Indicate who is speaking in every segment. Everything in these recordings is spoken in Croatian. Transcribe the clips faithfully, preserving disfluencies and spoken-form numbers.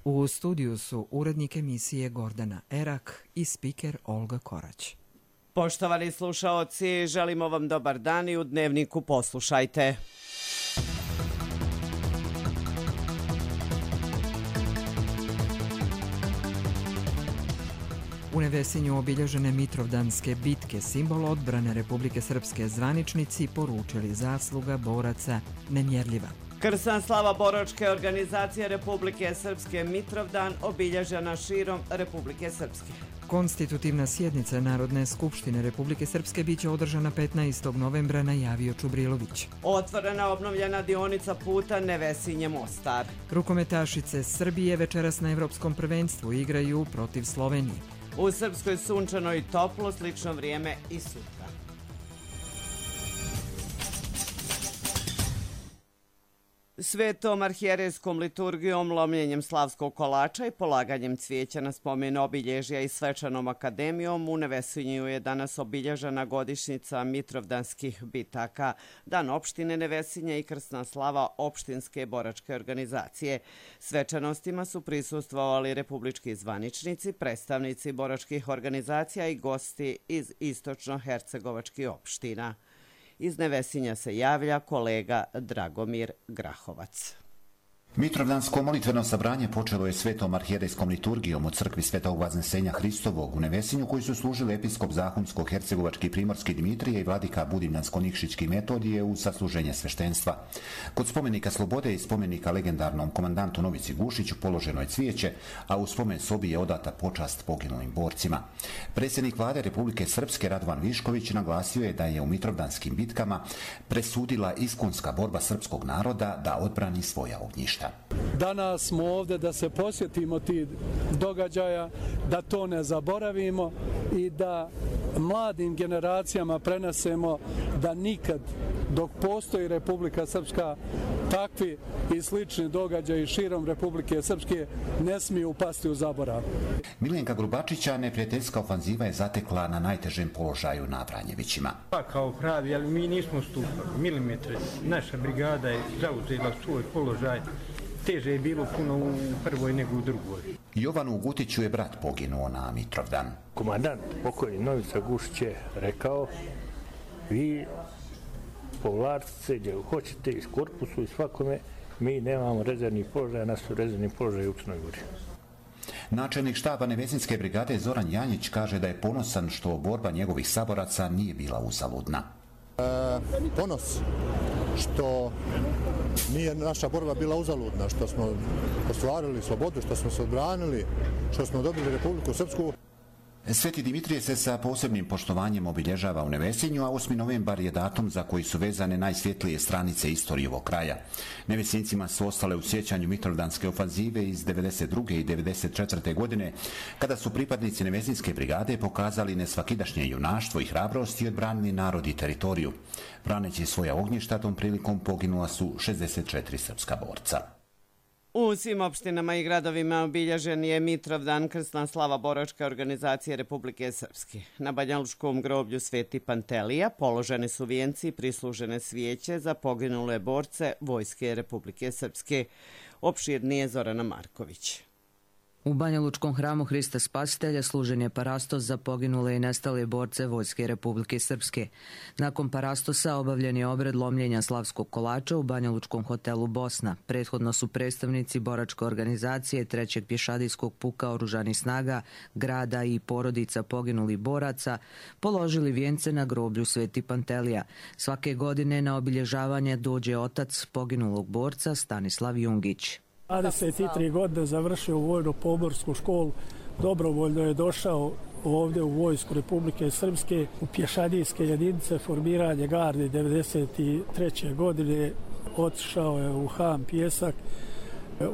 Speaker 1: U studiju su urednik emisije Gordana Erak i spiker Olga Korać.
Speaker 2: Poštovani slušaoci, želimo vam dobar dan i u Dnevniku poslušajte.
Speaker 1: U Nevesinju obilježene Mitrovdanske bitke, simbol odbrane Republike Srpske, zvaničnici poručili zasluga boraca nemjerljiva.
Speaker 2: Krsna slava boračke organizacije Republike Srpske Mitrovdan obilježena širom Republike Srpske.
Speaker 1: Konstitutivna sjednica Narodne skupštine Republike Srpske biće održana petnaestog novembra, najavio Čubrilović.
Speaker 2: Otvorena obnovljena dionica puta Nevesinje-Mostar.
Speaker 1: Rukometašice Srbije večeras na Evropskom prvenstvu igraju protiv Slovenije.
Speaker 2: U Srpskoj sunčano i toplo, slično vrijeme i sutra. Svetom arhijerejskom liturgijom, lomljenjem slavskog kolača i polaganjem cvijeća na spomen obilježja i svečanom akademijom u Nevesinju je danas obilježena godišnjica Mitrovdanskih bitaka, Dan opštine Nevesinje i krsna slava opštinske boračke organizacije. Svečanostima su prisustvovali republički zvaničnici, predstavnici boračkih organizacija i gosti iz istočno-hercegovačkih opština. Iz Nevesinja se javlja kolega Dragomir Grahovac.
Speaker 3: Mitrovdansko molitveno sabranje počelo je svetom arhijerejskom liturgijom u crkvi Svetog Vaznesenja Hristovog u Nevesinju, koji su služili episkop Zahumsko-hercegovački Primorski Dimitrije i vladika Budimljansko-Nikšićki Metodije u sasluženje sveštenstva. Kod spomenika Slobode i spomenika legendarnom komandantu Novici Gušiću položeno je cvijeće, a u spomen sobi je odata počast poginulim borcima. Predsjednik vlade Republike Srpske Radovan Višković naglasio je da je u Mitrovdanskim bitkama presudila iskonska borba srpskog naroda da odbrani svoja ognjišta.
Speaker 4: Danas smo ovdje da se posjetimo tih događaja, da to ne zaboravimo i da mladim generacijama prenesemo da nikad dok postoji Republika Srpska takvi i slični događaji širom Republike Srpske ne smiju upasti u zaborav.
Speaker 3: Miljenka Grubačića neprijateljska ofanziva je zatekla na najtežem položaju na Vranjevićima.
Speaker 5: Pa kao pravi, ali mi nismo stupali milimetre. Naša brigada je zauzela svoj položaj. Teže je bilo puno u prvoj nego u drugoj.
Speaker 3: Jovanu Gutiću je brat poginuo na Mitrovdan.
Speaker 6: Komandant pokojni Novica Gušić je rekao: vi povlačite se gdje hoćete iz korpusu i svakome, mi nemamo rezervnih položaja, nas su rezervni položaji u Crnoj Gori.
Speaker 3: Načelnik štaba Nevesinske brigade Zoran Janjić kaže da je ponosan što borba njegovih saboraca nije bila uzaludna.
Speaker 7: E, ponos što nije naša borba bila uzaludna, što smo ostvarili slobodu, što smo se odbranili, što smo dobili Republiku Srpsku.
Speaker 3: Sveti Dimitrije se sa posebnim poštovanjem obilježava u Nevesinju, a osmi novembar je datum za koji su vezane najsvjetlije stranice istorije ovog kraja. Nevesincima su ostale u sjećanju Mitrovdanske ofanzive iz devedeset druge i devedeset četvrte godine, kada su pripadnici Nevesinske brigade pokazali nesvakidašnje junaštvo i hrabrost i odbranili narod i teritoriju. Braneći svoja ognjišta, tom prilikom poginula su šezdeset četiri srpska borca.
Speaker 2: U svim opštinama i gradovima obilježen je Mitrovdan, krsna slava boračke organizacije Republike Srpske. Na banjalučkom groblju Sveti Pantelija položeni su vijenci i prislužene svijeće za poginule borce Vojske Republike Srpske. Opširnije Zorana Marković.
Speaker 8: U Banjalučkom hramu Hrista Spasitelja služen je parastos za poginule i nestale borce Vojske Republike Srpske. Nakon parastosa obavljen je obred lomljenja slavskog kolača u Banjalučkom hotelu Bosna. Prethodno su predstavnici boračke organizacije trećeg pješadijskog puka oružanih snaga, grada i porodica poginulih boraca položili vijence na groblju Sveti Pantelija. Svake godine na obilježavanje dođe otac poginulog borca Stanislav Jungić.
Speaker 4: dvadeset tri godine završio vojno-pomorsku školu, dobrovoljno je došao ovdje u Vojsku Republike Srpske u pješadijske jedinice, formiranje garde devedeset treće godine, otišao je u Ham Pjesak,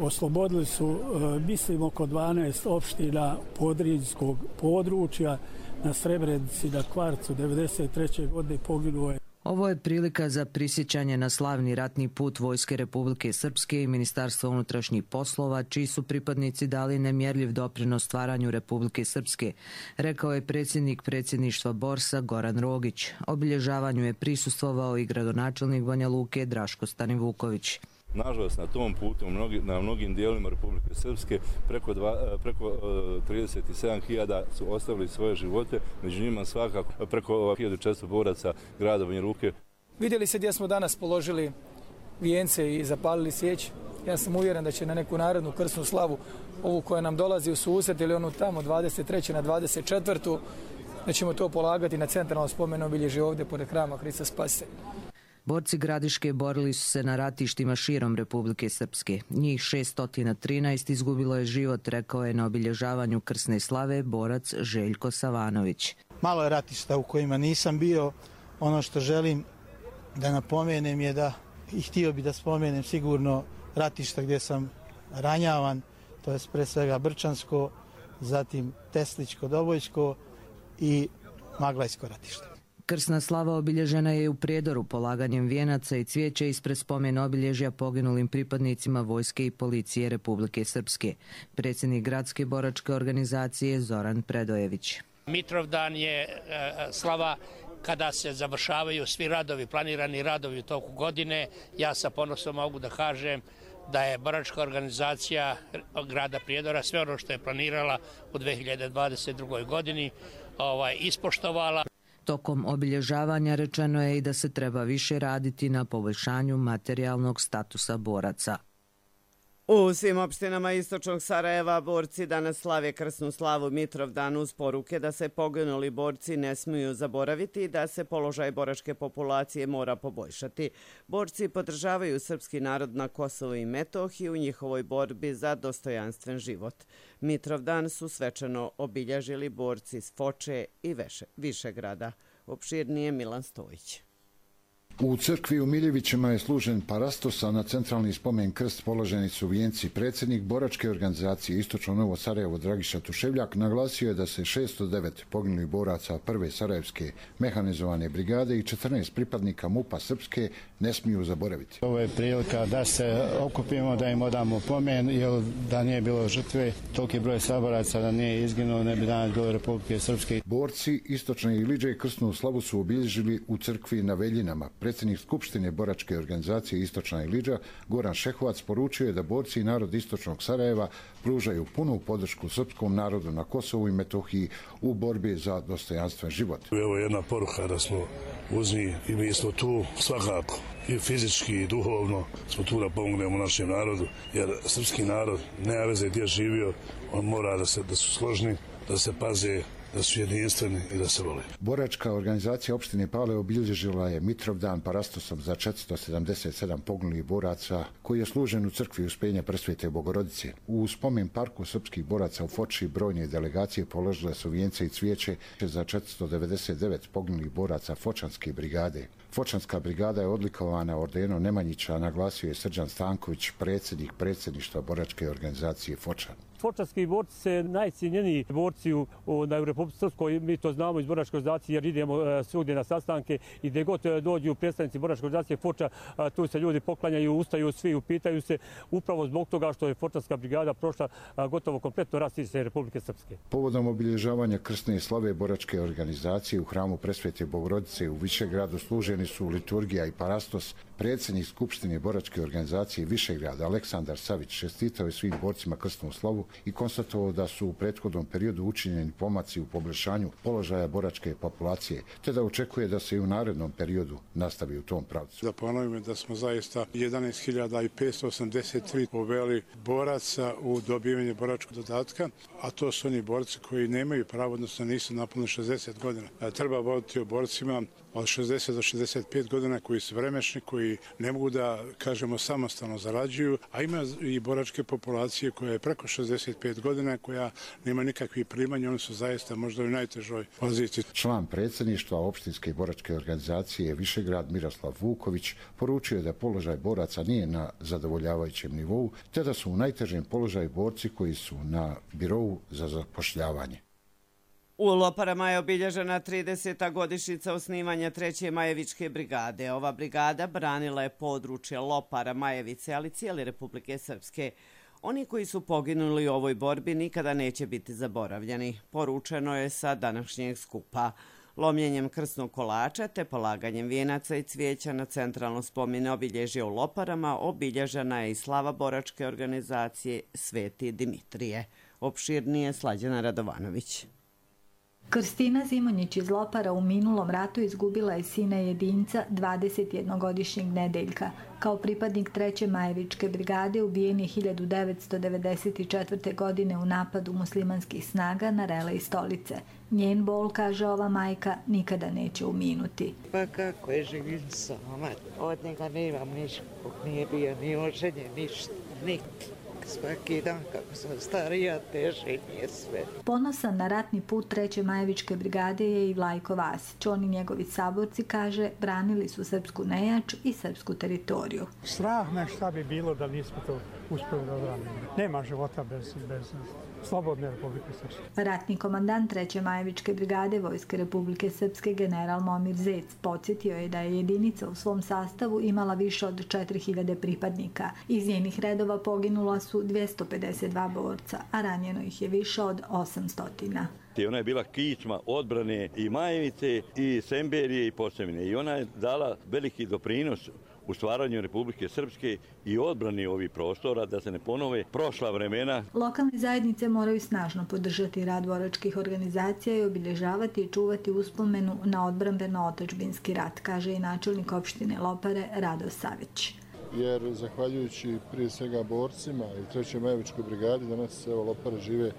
Speaker 4: oslobodili su, mislim, oko dvanaest opština podrinjskog područja. Na Srebrenici, na Kvarcu devedeset treće godine poginuo je.
Speaker 8: Ovo je prilika za prisjećanje na slavni ratni put Vojske Republike Srpske i Ministarstva unutrašnjih poslova, čiji su pripadnici dali nemjerljiv doprinos stvaranju Republike Srpske, rekao je predsjednik predsjedništva Borsa Goran Rogić. Obilježavanju je prisustvovao i gradonačelnik Banja Luke Draško Stanivuković.
Speaker 9: Nažalost, na tom putu mnogi, na mnogim dijelima Republike Srpske preko, dva, preko uh, trideset sedam hiljada su ostavili svoje živote, među njima svakako preko hiljadu četiristo boraca grada Banja Luke.
Speaker 10: Vidjeli se gdje smo danas položili vijence i zapalili svijeć. Ja sam uvjeren da će na neku narodnu krsnu slavu, ovu koja nam dolazi u susret ili onu tamo dvadeset treće na dvadeset četvrtu da ćemo to polagati na centralnom spomenu obilježje ovdje pored Hrama Hrista Spasitelja.
Speaker 8: Borci Gradiške borili su se na ratištima širom Republike Srpske. Njih šesto trinaest izgubilo je život, rekao je na obilježavanju krsne slave borac Željko Savanović.
Speaker 11: Malo je ratišta u kojima nisam bio. Ono što želim da napomenem je da, i htio bi da spomenem sigurno ratišta gdje sam ranjavan, to je pre svega Brčansko, zatim Tesličko, Dobojsko i Maglajsko ratište.
Speaker 8: Krsna slava obilježena je u Prijedoru polaganjem vijenaca i cvijeća ispred spomen obilježja poginulim pripadnicima vojske i policije Republike Srpske. Predsjednik gradske boračke organizacije Zoran Predojević.
Speaker 12: Mitrovdan je slava kada se završavaju svi radovi, planirani radovi u toku godine. Ja sa ponosom mogu da kažem da je boračka organizacija grada Prijedora sve ono što je planirala u dve hiljade dvadeset drugoj godini ovaj, ispoštovala.
Speaker 8: Tokom obilježavanja rečeno je i da se treba više raditi na poboljšanju materijalnog statusa boraca.
Speaker 2: U svim opštinama istočnog Sarajeva borci danas slave krsnu slavu Mitrovdan uz poruke da se poginuli borci ne smiju zaboraviti i da se položaj boračke populacije mora poboljšati. Borci podržavaju srpski narod na Kosovu i Metohiji u njihovoj borbi za dostojanstven život. Mitrovdan su svečano obilježili borci iz Foče i Višegrada. Opširnije Milan Stojić.
Speaker 13: U crkvi u Miljevićima je služen parastos, a na centralni spomen krst položeni su vijenci. Predsjednik boračke organizacije Istočno Novo Sarajevo Dragiša Tuševljak naglasio je da se šesto devet poginulih boraca prve Sarajevske mehanizovane brigade i četrnaest pripadnika MUP-a Srpske ne smiju zaboraviti.
Speaker 14: Ovo je prilika da se okupimo, da im odamo pomen, jer da nije bilo žrtve, toliki broj saboraca da nije izginuo, ne bi danas bilo Republike Srpske.
Speaker 13: Borci Istočne Iliđe krsnu slavu su obilježili u crkvi na Veljinama. Predsjednik Skupštine boračke organizacije Istočna Iliđa Goran Šehovac poručio je da borci i narod Istočnog Sarajeva pružaju punu podršku srpskom narodu na Kosovu i Metohiji u borbi za dostojanstven život.
Speaker 15: Evo je jedna poruka da smo uz njih i mi smo tu svakako i fizički i duhovno smo tu da pomognemo našem narodu, jer srpski narod nema veze gdje živio, on mora da, se, da su složni, da se paze, da su jedinstveni i da se vole.
Speaker 13: Boračka organizacija opštine Pale obilježila je Mitrovdan parastosom za četiristo sedamdeset sedam poginulih boraca koji je služen u crkvi Uspenja Presvete Bogorodice. U spomen parku srpskih boraca u Foči brojne delegacije položile su vijence i cvijeće za četiristo devedeset devet poginulih boraca Fočanske brigade. Fočanska brigada je odlikovana ordenom Nemanjića, naglasio je Srđan Stanković, predsjednik predsjedništva boračke organizacije Fočan.
Speaker 16: Fočanski borci se najcijenjeniji borci u, u, u Republici Srpskoj, mi to znamo iz boračke organizacije jer idemo uh, svugdje na sastanke i gdje god dođu predstavnici boračke organizacije Foča, uh, tu se ljudi poklanjaju, ustaju svi, upitaju se upravo zbog toga što je Fočanska brigada prošla uh, gotovo kompletno rastište Republike Srpske.
Speaker 13: Povodom obilježavanja krsne slave boračke organizacije u hramu Presvete Bogorodice u Višegradu služeni su liturgija i parastos. Predsjednik Skupštine boračke organizacije Višegrada Aleksandar Savić čestitao je svim borcima krsnu slavu i konstatovao da su u prethodnom periodu učinjeni pomaci u poboljšanju položaja boračke populacije, te da očekuje da se i u narednom periodu nastavi u tom pravcu.
Speaker 17: Da ponovimo da smo zaista jedanaest hiljada petsto osamdeset tri poveli boraca u dobivanje boračkog dodatka, a to su oni borci koji nemaju pravo, odnosno nisu napunili šezdeset godina. Treba voditi o borcima od šezdeset do šezdeset pet godina koji su vremešni, koji ne mogu da, kažemo, samostalno zarađuju, a ima i boračke populacije koja je preko šezdeset pet godina, koja nema nikakvih primanja, oni su zaista možda u najtežoj poziciji.
Speaker 13: Član predsjedništva opštinske boračke organizacije Višegrad Miroslav Vuković poručio je da položaj boraca nije na zadovoljavajućem nivou, te da su u najtežem položaju borci koji su na birovu za zapošljavanje.
Speaker 2: U Loparama je obilježena trideseta godišnjica osnivanja treće Majevičke brigade. Ova brigada branila je područje Lopara, Majevice, ali cijele Republike Srpske. Oni koji su poginuli u ovoj borbi nikada neće biti zaboravljeni, poručeno je sa današnjeg skupa. Lomljenjem krsnog kolača te polaganjem vijenaca i cvijeća na centralno spomen obilježje u Loparama obilježena je i slava boračke organizacije Sveti Dimitrije. Opširnije Slađana Radovanović.
Speaker 18: Krstina Zimonjić iz Lopara u minulom ratu izgubila je sina jedinca dvadesetjednogodišnjeg Nedeljka. Kao pripadnik treće Majevičke brigade ubijen je hiljadu devetsto devedeset četvrte. godine u napadu muslimanskih snaga na Relej Stolice. Njen bol, kaže ova majka, nikada neće uminuti.
Speaker 19: Pa kako je živim sama, od njega nemam ništa, nije bio ni oženjen, ništa, nikad. Svaki dan kako sam starija, teže mi je sve.
Speaker 18: Ponosan na ratni put treće Majevičke brigade je i Vlajko Vasić. On i njegovi saborci, kaže, branili su srpsku nejač i srpsku teritoriju.
Speaker 20: Strah me šta bi bilo da nismo to uspjeli da odranimo. Nema života bez, bez slobodne Republike Srpske.
Speaker 18: Ratni komandant treće Majevičke brigade Vojske Republike Srpske general Momir Zec podsjetio je da je jedinica u svom sastavu imala više od četiri hiljade pripadnika. Iz njenih redova poginula su dvjesto pedeset dva borca, a ranjeno ih je više od osamsto.
Speaker 21: Ona je bila kičma odbrane i Majevice, i Semberije, i Posavine. I ona je dala veliki doprinos u stvaranju Republike Srpske i odbrani ovih prostora, da se ne ponove prošla vremena.
Speaker 18: Lokalne zajednice moraju snažno podržati rad boračkih organizacija i obilježavati i čuvati uspomenu na odbrambeno-otadžbinski rat, kaže i načelnik opštine Lopare Rado Savić.
Speaker 22: Jer zahvaljujući prije svega borcima i trećoj Majevičkoj brigadi danas evo Lopare žive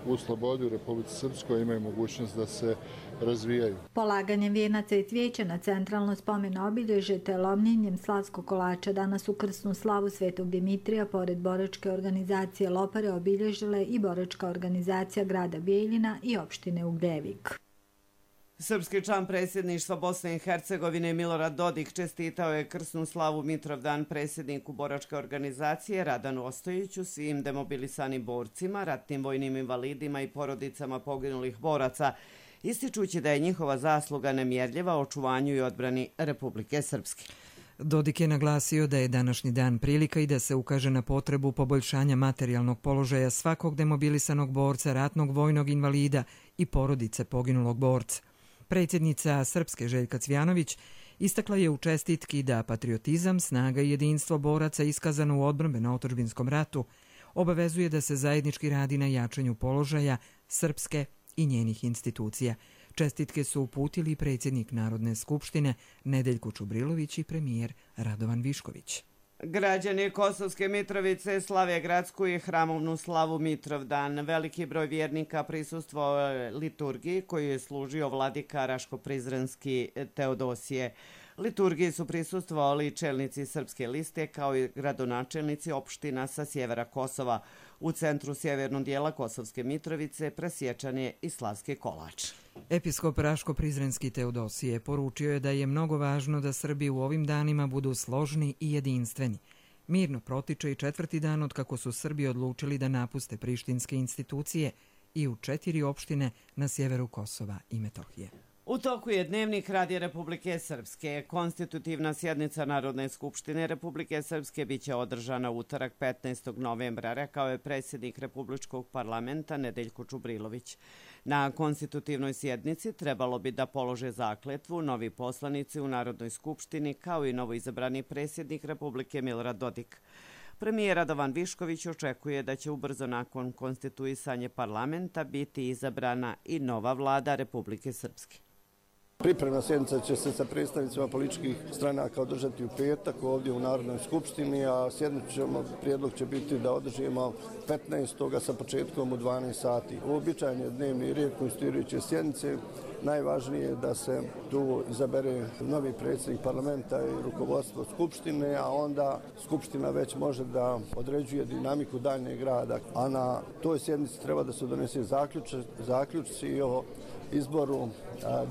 Speaker 22: u slobodi u Republici Srpskoj, imaju mogućnost da se razvijaju.
Speaker 18: Polaganjem vijenaca i cvijeća na centralno spomeno obilježje te lomljenjem slavskog kolača danas u krsnu slavu Svetog Dimitrija pored boračke organizacije Lopare obilježile i boračka organizacija grada Bijeljina i opštine Ugljevik.
Speaker 2: Srpski član predsjedništva Bosne i Hercegovine Milorad Dodik čestitao je krsnu slavu Mitrovdan predsjedniku boračke organizacije Radanu Ostojiću, svim demobilisanim borcima, ratnim vojnim invalidima i porodicama poginulih boraca, ističući da je njihova zasluga nemjerljiva u očuvanju i odbrani Republike Srpske.
Speaker 1: Dodik je naglasio da je današnji dan prilika i da se ukaže na potrebu poboljšanja materijalnog položaja svakog demobilisanog borca, ratnog vojnog invalida i porodice poginulog borca. Predsjednica Srpske Željka Cvjanović istakla je u čestitki da patriotizam, snaga i jedinstvo boraca iskazano u odbrambeno-otadžbinskom ratu obavezuje da se zajednički radi na jačanju položaja Srpske i njenih institucija. Čestitke su uputili predsjednik Narodne skupštine Nedeljko Čubrilović i premijer Radovan Višković.
Speaker 2: Građani Kosovske Mitrovice slave gradsku i hramovnu slavu Mitrovdan. Veliki broj vjernika prisustvovao liturgiji koju je služio vladika Raško-Prizrenski Teodosije. Liturgiji su prisustvovali čelnici Srpske liste kao i gradonačelnici opština sa sjevera Kosova. U centru sjevernog dijela Kosovske Mitrovice presječan je i slavski kolač.
Speaker 1: Episkop Raško-Prizrenski Teodosije poručio je da je mnogo važno da Srbi u ovim danima budu složni i jedinstveni. Mirno protiče i četvrti dan od kako su Srbi odlučili da napuste prištinske institucije i u četiri opštine na sjeveru Kosova i Metohije.
Speaker 2: U toku je dnevnik Radija Republike Srpske. Konstitutivna sjednica Narodne skupštine Republike Srpske biće održana utorak petnaestog novembra, rekao je predsjednik Republičkog parlamenta Nedeljko Čubrilović. Na konstitutivnoj sjednici trebalo bi da polože zakletvu novi poslanici u Narodnoj skupštini kao i novoizabrani predsjednik Republike Milorad Dodik. Premijer Radovan Višković očekuje da će ubrzo nakon konstituisanja parlamenta biti izabrana i nova vlada Republike Srpske.
Speaker 23: Pripremna sjednica će se sa predstavnicima političkih stranaka održati u petak ovdje u Narodnoj skupštini, a sjednicu prijedlog će biti da održimo petnaestog sa početkom u dvanaest sati. Uobičajen je dnevni red konstituirajuće sjednice. Najvažnije je da se tu izabere novi predsjednik parlamenta i rukovodstvo skupštine, a onda skupština već može da određuje dinamiku daljnjeg rada. A na toj sjednici treba da se donese zaključci o izboru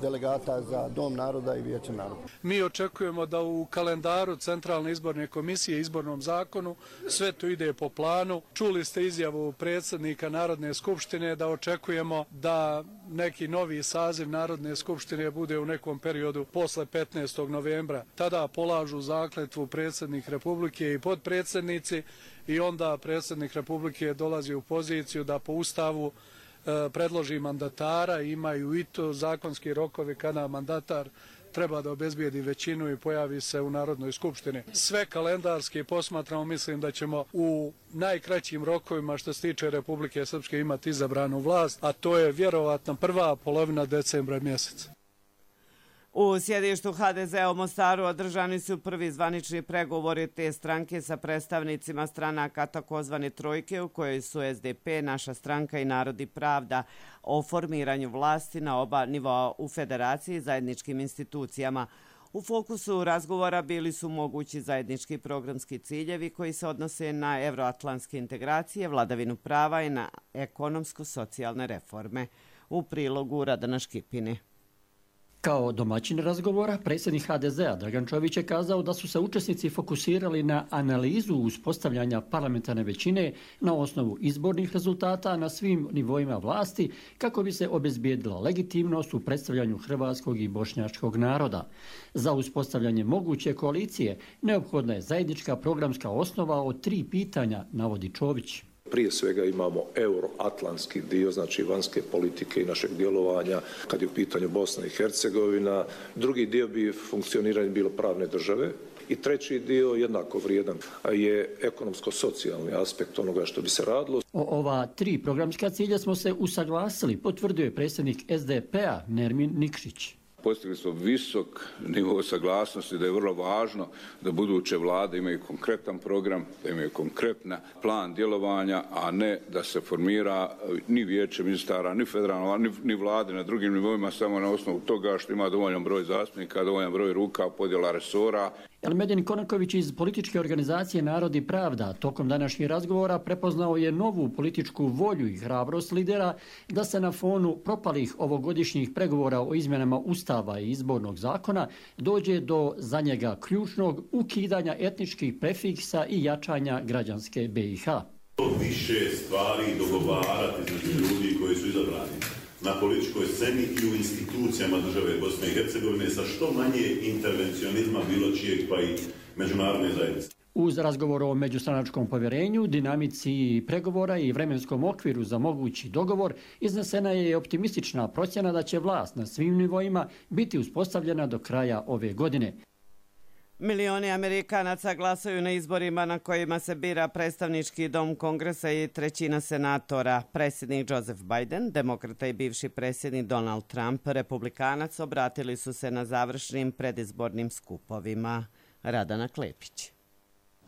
Speaker 23: delegata za Dom naroda i Vijeće naroda.
Speaker 24: Mi očekujemo da u kalendaru Centralne izborne komisije i izbornom zakonu sve to ide po planu. Čuli ste izjavu predsjednika Narodne skupštine da očekujemo da neki novi saziv Narodne skupštine bude u nekom periodu posle petnaestog novembra. Tada polažu zakletvu predsjednik Republike i podpredsjednici i onda predsjednik Republike dolazi u poziciju da po Ustavu predloži mandatara, imaju i to zakonski rokovi kada mandatar treba da obezbijedi većinu i pojavi se u Narodnoj skupštini. Sve kalendarski posmatramo, mislim da ćemo u najkraćim rokovima što se tiče Republike Srpske imati izabranu vlast, a to je vjerovatno prva polovina decembra mjeseca.
Speaker 2: U sjedištu ha de zea u Mostaru održani su prvi zvanični pregovori te stranke sa predstavnicima stranaka takozvane trojke u kojoj su es de pe, Naša stranka i Narod i pravda o formiranju vlasti na oba nivoa u federaciji i zajedničkim institucijama. U fokusu razgovora bili su mogući zajednički programski ciljevi koji se odnose na evroatlantske integracije, vladavinu prava i na ekonomsko-socijalne reforme. U prilogu Radana Škipini.
Speaker 3: Kao domaćin razgovora, predsjednik ha de zea Dragan Čović je kazao da su se učesnici fokusirali na analizu uspostavljanja parlamentarne većine na osnovu izbornih rezultata na svim nivoima vlasti kako bi se obezbijedila legitimnost u predstavljanju hrvatskog i bošnjačkog naroda. Za uspostavljanje moguće koalicije neophodna je zajednička programska osnova od tri pitanja, navodi Čović.
Speaker 5: Prije svega imamo euroatlantski dio, znači vanjske politike i našeg djelovanja kad je u pitanju Bosna i Hercegovina. Drugi dio bi funkcioniranje bilo pravne države. I treći dio, jednako vrijedan, je ekonomsko-socijalni aspekt onoga što bi se radilo.
Speaker 3: O ova tri programska cilja smo se usaglasili, potvrdio je predsjednik es de pe-a Nermin Nikšić.
Speaker 6: Postigli smo visok nivo saglasnosti da je vrlo važno da buduće vlade imaju konkretan program, da imaju konkretan plan djelovanja, a ne da se formira ni vijeće ministara, ni federalno, ni, ni vlade na drugim nivoima samo na osnovu toga što ima dovoljan broj zastupnika, dovoljan broj ruka, podjela resora.
Speaker 3: Elmedin Konaković iz političke organizacije Narod i pravda tokom današnjih razgovora prepoznao je novu političku volju i hrabrost lidera da se na fonu propalih ovogodišnjih pregovora o izmjenama Ustava i izbornog zakona dođe do za njega ključnog ukidanja etničkih prefiksa i jačanja građanske be i ha.
Speaker 7: Više stvari dogovarati između ljudi koji su izabrani na političkoj sceni i u institucijama države Bosne i Hercegovine sa što manje intervencionizma bilo čijeg pa i međunarodne zajednice.
Speaker 3: Uz razgovor o međustranačkom povjerenju, dinamici pregovora i vremenskom okviru za mogući dogovor, iznesena je optimistična procjena da će vlast na svim nivoima biti uspostavljena do kraja ove godine.
Speaker 2: Milioni Amerikanaca glasaju na izborima na kojima se bira predstavnički dom Kongresa i trećina senatora. Predsjednik Joseph Biden, demokrata i bivši predsjednik Donald Trump, republikanac, obratili su se na završnim predizbornim skupovima. Radana Klepić.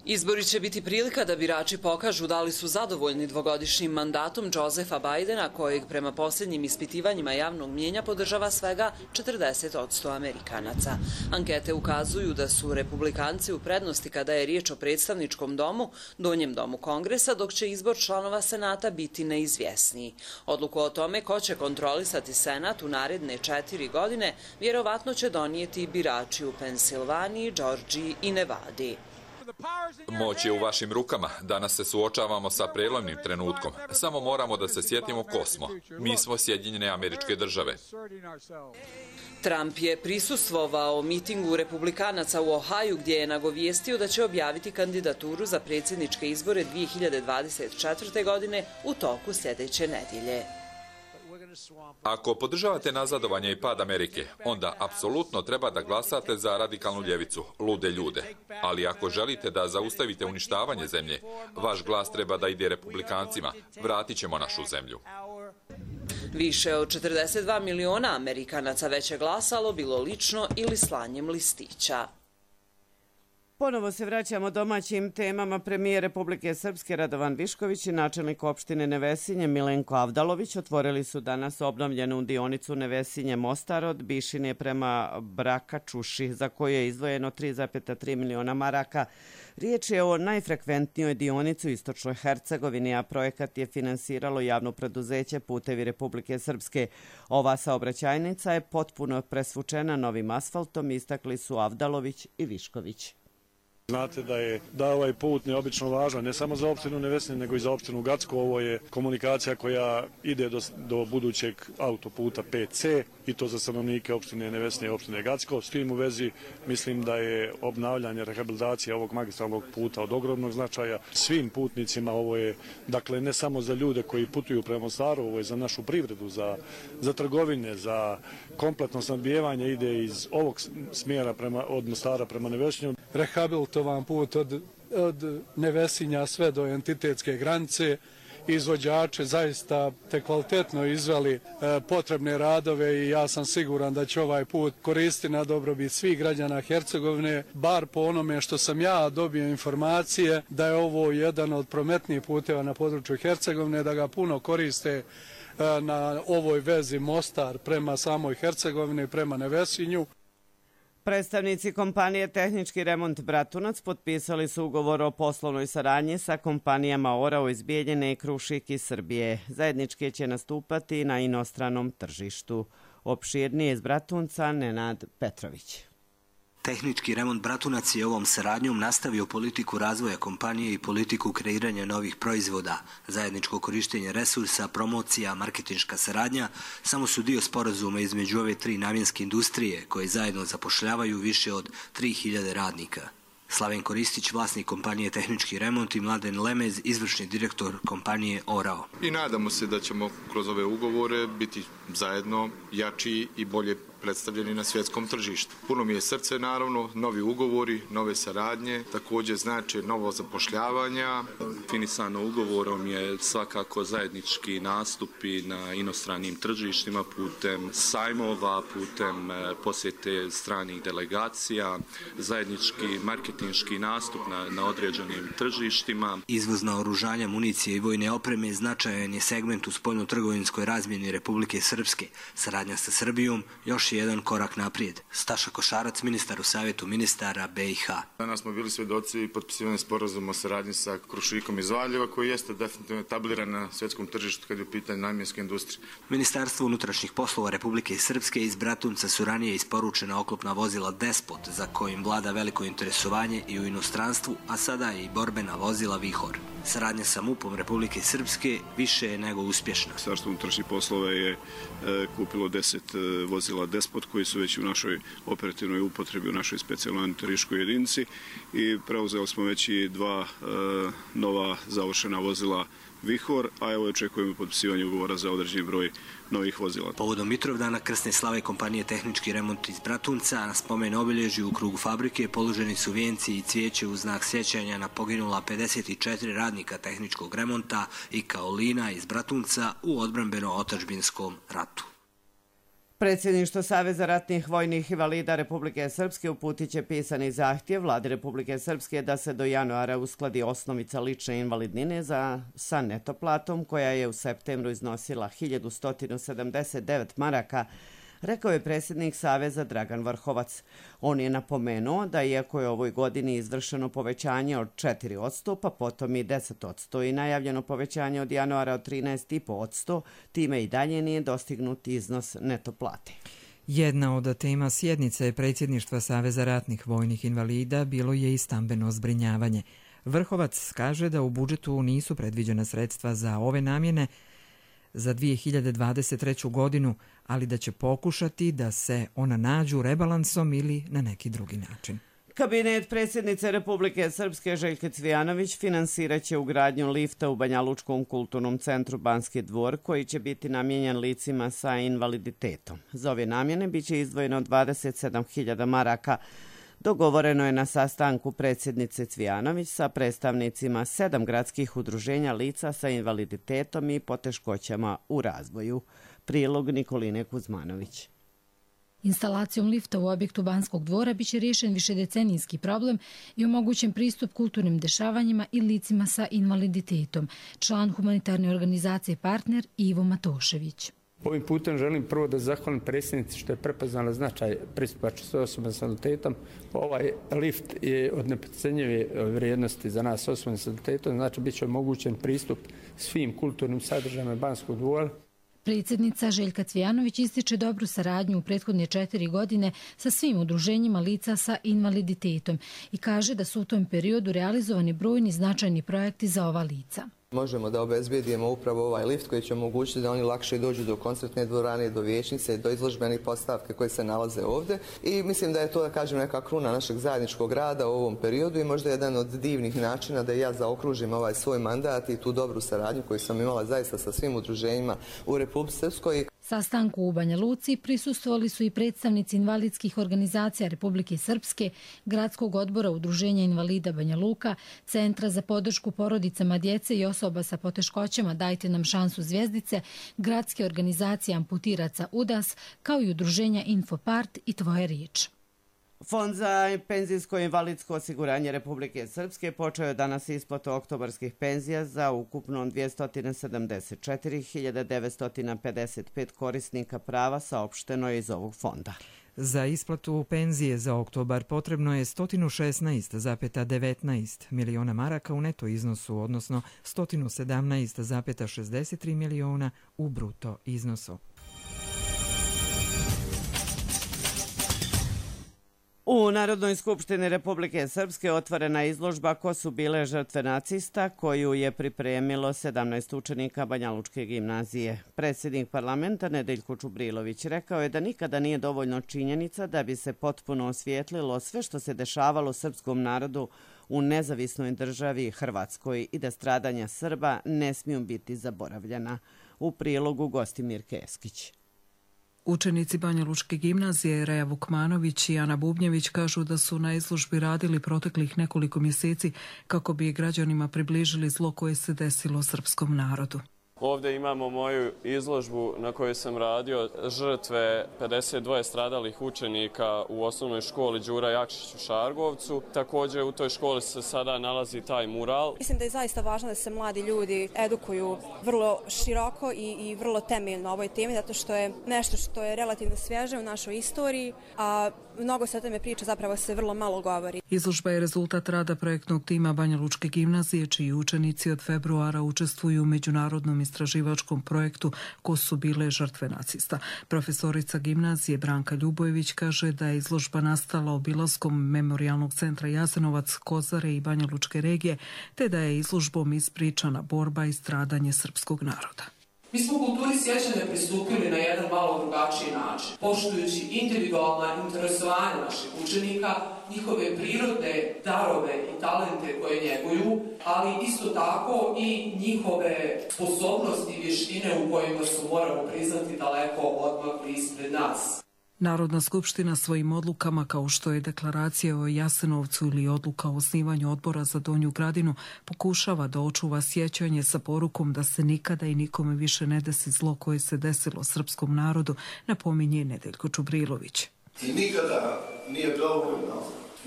Speaker 25: Izbori će biti prilika da birači pokažu da li su zadovoljni dvogodišnjim mandatom Josepha Bidena, kojeg prema posljednjim ispitivanjima javnog mnijenja podržava svega četrdeset posto Amerikanaca. Ankete ukazuju da su republikanci u prednosti kada je riječ o predstavničkom domu, donjem domu Kongresa, dok će izbor članova Senata biti neizvjesniji. Odluku o tome ko će kontrolisati Senat u naredne četiri godine vjerovatno će donijeti birači u Pensilvaniji, Džordžiji i Nevadi.
Speaker 26: Moć je u vašim rukama. Danas se suočavamo sa prelomnim trenutkom. Samo moramo da se sjetimo ko smo. Mi smo Sjedinjene Američke Države.
Speaker 25: Trump je prisustvovao mitingu republikanaca u Ohaju gdje je nagovijestio da će objaviti kandidaturu za predsjedničke izbore dvije hiljade dvadeset četvrte. godine u toku sljedeće nedjelje.
Speaker 26: Ako podržavate nazadovanje i pad Amerike, onda apsolutno treba da glasate za radikalnu ljevicu, lude ljude. Ali ako želite da zaustavite uništavanje zemlje, vaš glas treba da ide republikancima. Vratit ćemo našu zemlju.
Speaker 25: Više od četrdeset dva miliona Amerikanaca već je glasalo bilo lično ili slanjem listića.
Speaker 2: Ponovo se vraćamo domaćim temama. Premijer Republike Srpske Radovan Višković i načelnik opštine Nevesinje Milenko Avdalović otvorili su danas obnovljenu dionicu Nevesinje-Mostar od Bišine prema Brakačuši, za koju je izdvojeno tri zarez tri miliona maraka. Riječ je o najfrekventnijoj dionici u istočnoj Hercegovini, a projekat je finansiralo javno preduzeće Putevi Republike Srpske. Ova saobraćajnica je potpuno presvučena novim asfaltom, istakli su Avdalović i Višković.
Speaker 24: Znate da je da ovaj put neobično važan, ne samo za opštinu Nevesinje, nego i za opštinu Gacko. Ovo je komunikacija koja ide do, do budućeg autoputa P C i to za stanovnike opštine Nevesinje i opštine Gacko. S tim u vezi mislim da je obnavljanje, rehabilitacija ovog magistralnog puta od ogromnog značaja. Svim putnicima ovo je, dakle, ne samo za ljude koji putuju prema Mostaru, ovo je za našu privredu, za, za trgovine, za kompletno snabdijevanje ide iz ovog smjera prema, od Mostara prema Nevesinju. Rehabilitovan put od, od Nevesinja sve do entitetske granice, izvođače zaista te kvalitetno izveli e, potrebne radove i ja sam siguran da će ovaj put koristiti na dobrobit svih građana Hercegovine, bar po onome što sam ja dobio informacije da je ovo jedan od prometnijih puteva na području Hercegovine, da ga puno koriste e, na ovoj vezi Mostar prema samoj Hercegovini, prema Nevesinju.
Speaker 2: Predstavnici kompanije Tehnički remont Bratunac potpisali su ugovor o poslovnoj saradnji sa kompanijama Orao iz Bijeljine i Krušik iz Srbije. Zajednički će nastupati na inostranom tržištu. Opširnije iz Bratunca Nenad Petrović.
Speaker 4: Tehnički remont Bratunac je ovom saradnjom nastavio politiku razvoja kompanije i politiku kreiranja novih proizvoda. Zajedničko korištenje resursa, promocija, marketinška saradnja samo su dio sporazuma između ove tri namjenske industrije koje zajedno zapošljavaju više od tri hiljade radnika. Slaven Koristić, vlasnik kompanije Tehnički remont, i Mladen Lemez, izvršni direktor kompanije Orao.
Speaker 8: I nadamo se da ćemo kroz ove ugovore biti zajedno jači i bolje predstavljeni na svjetskom tržištu. Puno mi je srce, naravno, novi ugovori, nove saradnje, također znači novo zapošljavanja.
Speaker 9: Finisano ugovorom je svakako zajednički nastupi na inostranim tržištima putem sajmova, putem posjete stranih delegacija, zajednički marketinški nastup na, na određenim tržištima.
Speaker 4: Izvoz naoružanja, municije i vojne opreme značajan je segment u spoljno-trgovinskoj razmjeni Republike Srpske. Saradnja sa Srbijom još jedan korak naprijed. Staša Košarac, ministar u Savjetu ministara B i H.
Speaker 8: Danas smo bili svjedoci potpisivanja sporazuma o saradnji sa Krušikom iz Valjeva, koji jeste definitivno etabliran na svjetskom tržištu kad je u pitanju namjenske industrije.
Speaker 4: Ministarstvo unutrašnjih poslova Republike Srpske iz Bratunca su ranije isporučena oklopna vozila Despot, za kojim vlada veliko interesovanje i u inostranstvu, a sada je i borbena vozila Vihor. Saradnja sa MUP-om Republike Srpske više je nego uspješna.
Speaker 10: Ministarstvo unutrašnjih poslova je e, kupilo deset e, vozila Despot koji su već u našoj operativnoj upotrebi, u našoj specijalnoj antiteriškoj jedinici, i preuzeli smo već i dva e, nova završena vozila Vihor, a evo očekujemo potpisivanje ugovora za određeni broj novih vozila.
Speaker 4: Povodom Mitrovdana krsne slave kompanije Tehnički remont iz Bratunca na spomen obilježju u krugu fabrike položeni su vijenci i cvijeće u znak sjećanja na poginula pedeset četiri radnika tehničkog remonta i kaolina iz Bratunca u odbrambeno-otadžbinskom ratu.
Speaker 2: Predsjedništvo Saveza ratnih vojnih invalida Republike Srpske uputit će pisani zahtjev Vladi Republike Srpske da se do januara uskladi osnovica lične invalidnine za, sa neto platom koja je u septembru iznosila hiljadu sto sedamdeset devet maraka, rekao je predsjednik Saveza Dragan Vrhovac. On je napomenuo da iako je ovoj godini izvršeno povećanje od četiri posto, pa potom i deset posto i najavljeno povećanje od januara od trinaest zarez pet posto, time i dalje nije dostignut iznos neto plate.
Speaker 1: Jedna od tema sjednice predsjedništva Saveza ratnih vojnih invalida bilo je i stambeno zbrinjavanje. Vrhovac kaže da u budžetu nisu predviđena sredstva za ove namjene za dvije hiljade dvadeset treću godinu, ali da će pokušati da se ona nađu rebalansom ili na neki drugi način.
Speaker 2: Kabinet predsjednice Republike Srpske Željke Cvijanović finansirat će ugradnju lifta u Banjalučkom kulturnom centru Banski dvor, koji će biti namijenjen licima sa invaliditetom. Za ove namjene biće izdvojeno dvadeset sedam hiljada maraka. Dogovoreno je na sastanku predsjednice Cvijanović sa predstavnicima sedam gradskih udruženja lica sa invaliditetom i poteškoćama u razvoju. Prilog Nikoline Kuzmanović.
Speaker 11: Instalacijom lifta u objektu Banskog dvora biće riješen višedecenijski problem i omogućen pristup kulturnim dešavanjima i licima sa invaliditetom. Član humanitarne organizacije Partner Ivo Matošević.
Speaker 12: Ovim putem želim prvo da zahvalim predsjednici što je prepoznala značaj pristupačnosti osoba s invaliditetom. Ovaj lift je od neprocenjive vrijednosti za nas osoba s invaliditetom, znači bit će omogućen pristup svim kulturnim sadržajima Banskog dvora.
Speaker 11: Predsjednica Željka Cvijanović ističe dobru saradnju u prethodne četiri godine sa svim udruženjima lica sa invaliditetom i kaže da su u tom periodu realizovani brojni značajni projekti za ova lica.
Speaker 13: Možemo da obezbedijemo upravo ovaj lift koji će omogućiti da oni lakše dođu do koncertne dvorane, do vijećnice, do izložbenih postavke koje se nalaze ovdje. I mislim da je to, da kažem, neka kruna našeg zajedničkog rada u ovom periodu i možda jedan od divnih načina da ja zaokružim ovaj svoj mandat i tu dobru saradnju koju sam imala zaista sa svim udruženjima u Republici Srpskoj.
Speaker 11: Sastanku u Banja Luci prisustvovali su i predstavnici invalidskih organizacija Republike Srpske, Gradskog odbora Udruženja invalida Banja Luka, Centra za podršku porodicama djece i osoba sa poteškoćama Dajte nam šansu Zvjezdice, Gradske organizacije amputiraca U D A S, kao i Udruženja Infopart i Tvoja riječ.
Speaker 2: Fond za penzijsko i invalidsko osiguranje Republike Srpske počeo je danas isplatu oktobarskih penzija za ukupno dvjesto sedamdeset četiri hiljade devetsto pedeset pet korisnika prava, saopšteno je iz ovog fonda.
Speaker 1: Za isplatu penzije za oktobar potrebno je sto šesnaest zarez devetnaest miliona maraka u neto iznosu, odnosno sto sedamnaest zarez šezdeset tri miliona u bruto iznosu.
Speaker 2: U Narodnoj skupštini Republike Srpske otvorena izložba Ko su bile žrtve nacista, koju je pripremilo sedamnaest učenika Banjalučke gimnazije. Predsjednik parlamenta Nedeljko Čubrilović rekao je da nikada nije dovoljno činjenica da bi se potpuno osvijetlilo sve što se dešavalo srpskom narodu u nezavisnoj državi Hrvatskoj i da stradanja Srba ne smiju biti zaboravljena. U prilogu Gostimir Keskić.
Speaker 14: Učenici Banjalučke gimnazije Reja Vukmanović i Ana Bubnjević kažu da su na izložbi radili proteklih nekoliko mjeseci kako bi građanima približili zlo koje se desilo srpskom narodu.
Speaker 15: Ovdje imamo moju izložbu na kojoj sam radio žrtve pedeset dva stradalih učenika u osnovnoj školi Đura Jakšić u Šargovcu. Također u toj školi se sada nalazi taj mural.
Speaker 16: Mislim da je zaista važno da se mladi ljudi edukuju vrlo široko i, i vrlo temeljno o ovoj temi, zato što je nešto što je relativno svježe u našoj istoriji, a mnogo se o tome priča, zapravo se vrlo malo govori.
Speaker 14: Izložba je rezultat rada projektnog tima Banjalučke gimnazije, čiji učenici od februara učestvuju u međunarodnom istraživačkom projektu Ko su bile žrtve nacista. Profesorica gimnazije Branka Ljubojević kaže da je izložba nastala obilaskom Memorijalnog centra Jasenovac, Kozare i Banjalučke regije, te da je izložbom ispričana borba i stradanje srpskog naroda.
Speaker 17: Mi smo kulturi sjećanja pristupili na jedan malo drugačiji način, poštujući individualna interesovanja naših učenika, njihove prirodne darove i talente koje njeguju, ali isto tako i njihove sposobnosti i vještine u kojima su, moramo priznati, daleko odmakli ispred nas.
Speaker 14: Narodna skupština svojim odlukama, kao što je deklaracija o Jasenovcu ili odluka o osnivanju odbora za Donju Gradinu, pokušava da očuva sjećanje sa porukom da se nikada i nikome više ne desi zlo koje se desilo srpskom narodu, napominje Nedeljko Čubrilović.
Speaker 23: I nikada nije dovoljno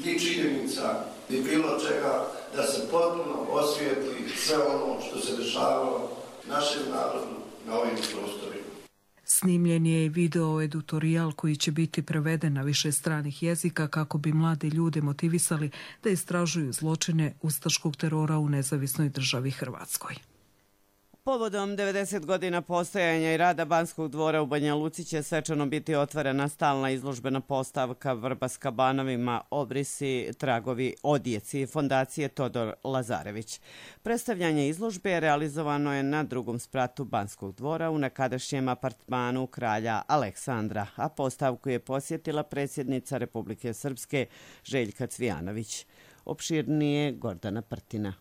Speaker 23: ni činjenica, ni bilo čega da se potpuno osvijetli sve ono što se dešavalo našem narodu na ovim prostorima.
Speaker 14: Snimljen je i video edutorijal koji će biti preveden na više stranih jezika kako bi mlade ljude motivisali da istražuju zločine ustaškog terora u nezavisnoj državi Hrvatskoj.
Speaker 2: Povodom devedeset godina postojanja i rada Banskog dvora u Banja Luci će svečano biti otvorena stalna izložbena postavka Vrba s kabanovima, obrisi, tragovi, odjeci fondacije Todor Lazarević. Predstavljanje izložbe realizovano je na drugom spratu Banskog dvora u nekadašnjem apartmanu kralja Aleksandra, a postavku je posjetila predsjednica Republike Srpske Željka Cvijanović. Opširnije Gordana Prtina.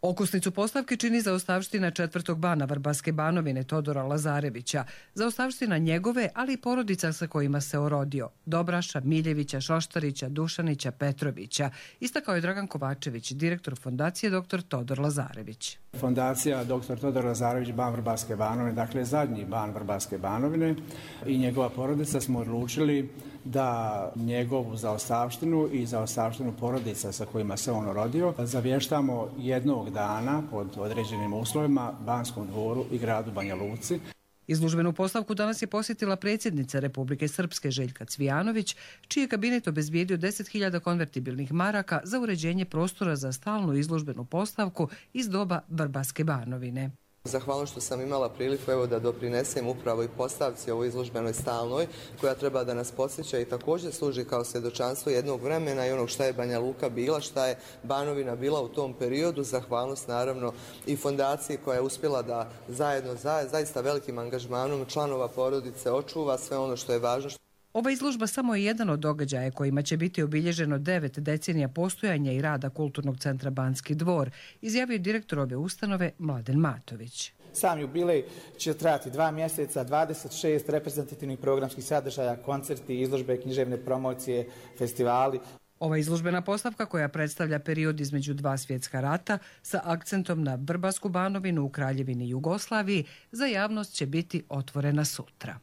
Speaker 19: Okosnicu postavke čini zaostavština četvrtog bana Vrbaske banovine Todora Lazarevića, zaostavština njegove, ali i porodica sa kojima se orodio, Dobraša, Miljevića, Šoštarića, Dušanića, Petrovića, istakao je Dragan Kovačević, direktor fondacije doktor Todor Lazarević.
Speaker 27: Fondacija doktor Todor Lazarević ban Vrbaske banovine, dakle zadnji ban Vrbaske banovine i njegova porodica smo odlučili da njegovu zaostavštinu i zaostavštinu porodica sa kojima se on rodio zavještamo jednog dana pod određenim uslovima Banskom dvoru i gradu Banja Luci.
Speaker 19: Izložbenu postavku danas je posjetila predsjednica Republike Srpske Željka Cvijanović, čiji je kabinet obezbijedio deset hiljada konvertibilnih maraka za uređenje prostora za stalnu izložbenu postavku iz doba Vrbaske banovine.
Speaker 13: Zahvalno što sam imala priliku evo, da doprinesem upravo i postavci ovoj izložbenoj stalnoj, koja treba da nas podsjeća i također služi kao svjedočanstvo jednog vremena i onog šta je Banja Luka bila, šta je Banovina bila u tom periodu. Zahvalnost naravno i fondaciji koja je uspjela da zajedno, za, zaista velikim angažmanom članova porodice očuva sve ono što je važno.
Speaker 19: Ova izložba samo je jedan od događaja kojima će biti obilježeno devet decenija postojanja i rada Kulturnog centra Banski dvor, izjavio direktor ove ustanove Mladen Matović.
Speaker 5: Sam jubilej će trajati dva mjeseca, dvadeset šest reprezentativnih programskih sadržaja, koncerti, izložbe, književne promocije, festivali.
Speaker 19: Ova izložbena postavka koja predstavlja period između dva svjetska rata sa akcentom na Vrbasku Banovinu u Kraljevini Jugoslaviji za javnost će biti otvorena sutra.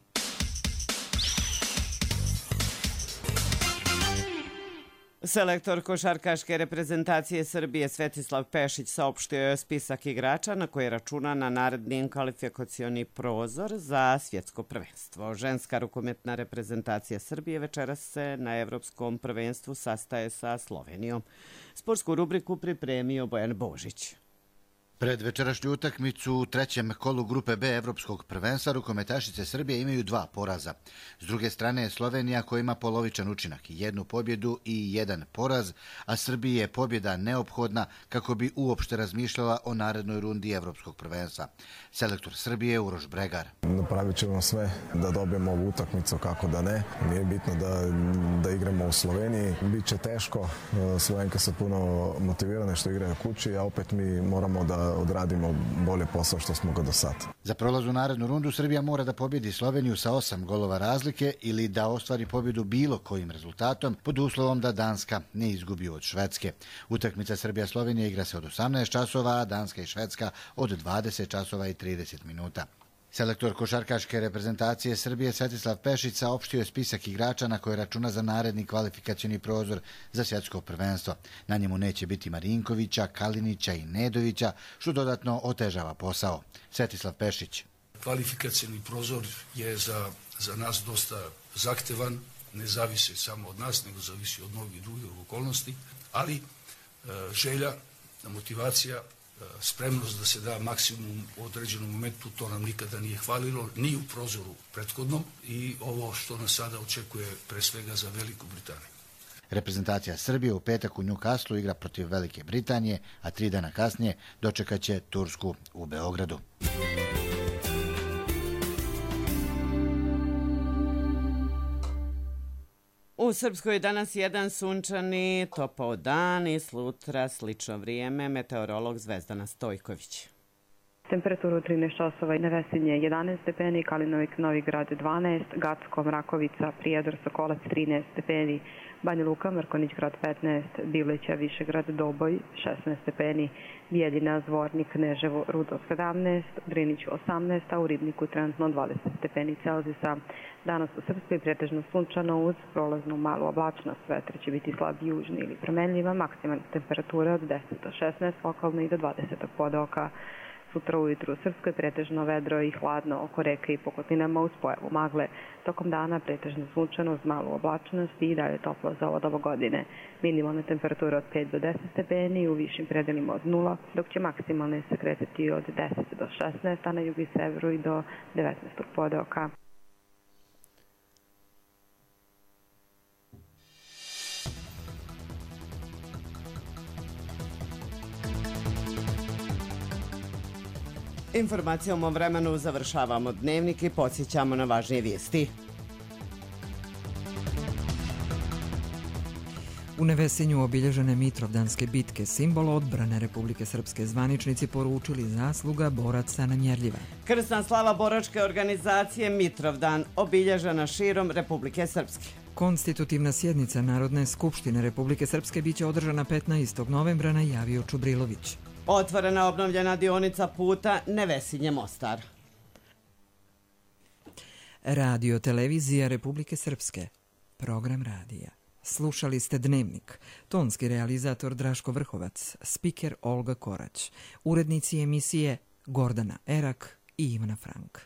Speaker 2: Selektor košarkaške reprezentacije Srbije Svetislav Pešić saopštio je spisak igrača na koje računa na naredni kvalifikacioni prozor za svjetsko prvenstvo. Ženska rukometna reprezentacija Srbije večeras se na evropskom prvenstvu sastaje sa Slovenijom. Sportsku rubriku pripremio Bojan Božić.
Speaker 6: Pred večerašnju utakmicu u trećem kolu grupe B Evropskog prvenstva rukometašice Srbije imaju dva poraza. S druge strane je Slovenija koja ima polovičan učinak, jednu pobjedu i jedan poraz, a Srbiji je pobjeda neophodna kako bi uopšte razmišljala o narednoj rundi Evropskog prvenstva. Selektor Srbije Uroš Bregar.
Speaker 7: Napravit ćemo sve da dobijemo ovu utakmicu, kako da ne. Nije bitno da, da igramo u Sloveniji. Biće teško, Slovenke su puno motivirane što igraju kući, a opet mi moramo da odradimo bolje posao što smo ga do sad.
Speaker 6: Za prolaz u narednu rundu Srbija mora da pobjedi Sloveniju sa osam golova razlike ili da ostvari pobjedu bilo kojim rezultatom pod uslovom da Danska ne izgubi od Švedske. Utakmica Srbija-Slovenija igra se od osamnaest časova, a Danska i Švedska od dvadeset časova i trideset minuta. Selektor košarkaške reprezentacije Srbije Svetislav Pešić saopštio je spisak igrača na koje računa za naredni kvalifikacioni prozor za svjetsko prvenstvo. Na njemu neće biti Marinkovića, Kalinića i Nedovića, što dodatno otežava posao. Svetislav Pešić.
Speaker 18: Kvalifikacioni prozor je za, za nas dosta zahtevan, ne zavisi samo od nas, nego zavisi od mnogih drugih okolnosti, ali e, želja, motivacija, spremnost da se da maksimum u određenom momentu, to nam nikada nije hvalilo, ni u prozoru prethodnom i ovo što nas sada očekuje pre svega za Veliku Britaniju.
Speaker 6: Reprezentacija Srbije u petak u Newcastlu igra protiv Velike Britanije, a tri dana kasnije dočekaće Tursku u Beogradu.
Speaker 2: U Srpskoj danas jedan sunčani, topao dan i sutra slično vrijeme. Meteorolog Zvezdana Stojković.
Speaker 20: Temperaturu trinaest časova i Nevesinje jedanaest stepeni, Kalinovik, Novi Grad dvanaest, Gacko, Mrakovica, Prijedor, Sokolac trinaest stepeni, Banja Luka, Mrkonić grad petnaest, Divlića, Višegrad, Doboj šesnaest stepeni, Bijeljina, Zvornik, Kneževo, Rudo sedamnaest, Drinić osamnaest, a u Ribniku trenutno dvadeset stepeni Celzijusa. Danas u Srpskoj pretežno sunčano uz prolaznu malu oblačnost, vetar će biti slab južni ili promenljiva, maksimalna temperatura od deset do šesnaest, lokalno i do dvadeset pod oka. Sutra ujutru u Srpskoj pretežno vedro i hladno oko reke i pokotlinama uz pojavu magle. Tokom dana pretežno sunčano uz malu oblačnost i dalje toplo za ovo doba godine. Minimalne temperature od pet do deset stepeni, u višim predelima od nula, dok će maksimalne se kretati od deset do šesnaest, a na jugu i severu i do devetnaest pod oka.
Speaker 2: Informacijom o vremenu završavamo dnevnik i podsjećamo na važnije vijesti.
Speaker 1: U Nevesinju obilježene Mitrovdanske bitke, simbol odbrane Republike Srpske, zvaničnici poručili zasluga boraca nemjerljiva.
Speaker 2: Krsna slava boračke organizacije Mitrovdan obilježena širom Republike Srpske.
Speaker 1: Konstitutivna sjednica Narodne skupštine Republike Srpske biće održana petnaestog novembra, najavio Čubrilović.
Speaker 2: Otvorena obnovljena dionica puta Nevesinje-Mostar.
Speaker 1: Radio televizija Republike Srpske. Program radija. Slušali ste Dnevnik. Tonski realizator Draško Vrhovac, spiker Olga Korać, urednici emisije Gordana Erak i Ivana Frank.